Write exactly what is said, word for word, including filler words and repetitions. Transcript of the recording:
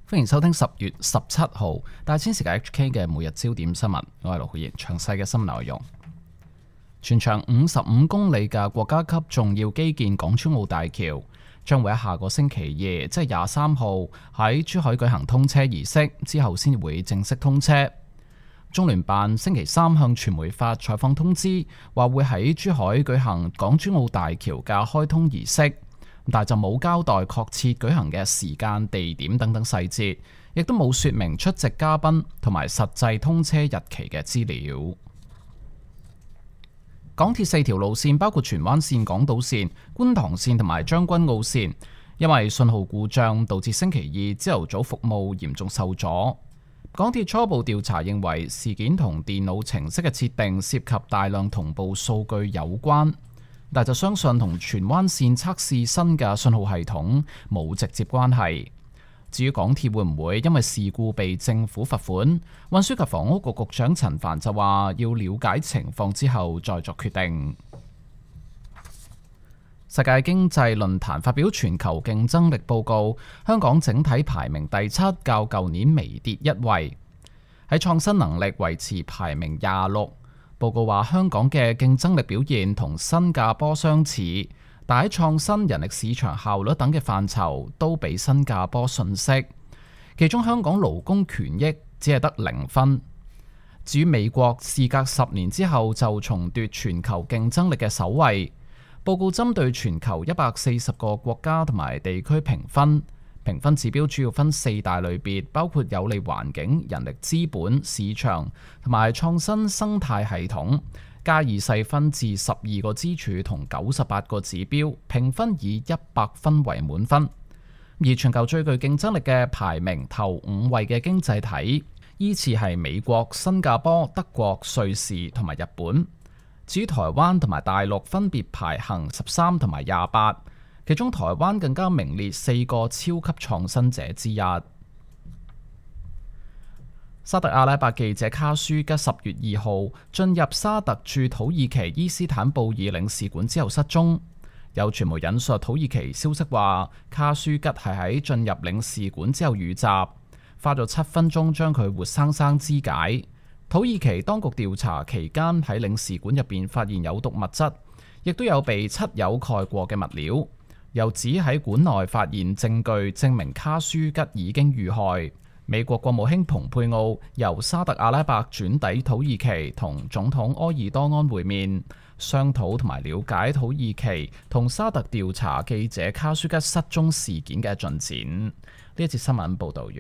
歡迎收聽十月十七號大千時間 H K 嘅每日焦點新聞，我係盧浩然。詳細嘅新聞內容，全長五十五公里嘅國家級重要基建港珠澳大橋將會喺下個星期二，即係廿三號喺珠海舉行通車儀式，之後先會正式通車。中聯辦星期三向傳媒發採訪通知，話會喺珠海舉行港珠澳大橋嘅開通儀式。但就冇交代確切舉行嘅時間、地點等等細節，亦都冇說明出席嘉賓同埋實際通車日期嘅資料。港鐵四條路線包括荃灣線、港島線、觀塘線同埋將軍澳線，因為信號故障導致星期二朝頭早服務嚴重受阻。港鐵初步調查認為事件同電腦程式嘅設定涉及大量同步數據有關。但就相信同荃灣線測試新嘅信號系統冇直接關係。至於港鐵會唔會因為事故被政府罰款，運輸及房屋局局長陳帆就話要了解情況之後再作決定。世界經濟論壇發表全球競爭力報告，香港整體排名第七，較舊年微跌一位。喺創新能力維持排名廿六。報告話香港嘅競爭力表現同新加坡相似，但喺創新、人力市場效率等嘅範疇都比新加坡遜色。其中香港勞工權益只係得零分。至於美國，事隔十年之後就重奪全球競爭力嘅首位。報告針對全球一百四十個國家同埋地區評分。評分指標主要分四大類別，包括有利環境、人力資本、市場同埋創新生態系統，加以細分至十二個支柱同九十八個指標，評分以一百分為滿分。而全球最具競爭力嘅排名頭五位嘅經濟體，依次係美國、新加坡、德國、瑞士同埋日本。至於台灣同埋大陸分別排行十三同埋廿八。其中台灣更加名列四個超級創新者之一。沙特阿拉伯記者卡舒吉十月二號進入沙特駐土耳其伊斯坦布爾領事館之後失蹤。有傳媒引述土耳其消息話，卡舒吉係喺進入領事館之後遇襲，花咗七分鐘將佢活生生肢解。土耳其當局調查期間喺領事館入邊發現有毒物質，亦都有被漆油蓋過嘅物料。又指喺館內發現證據，證明卡舒吉已經遇害。美國國務卿蓬佩奧由沙特阿拉伯轉抵土耳其，同總統埃爾多安會面，商討同埋了解土耳其同沙特調查記者卡舒吉失蹤事件嘅進展。呢一節新聞報導完。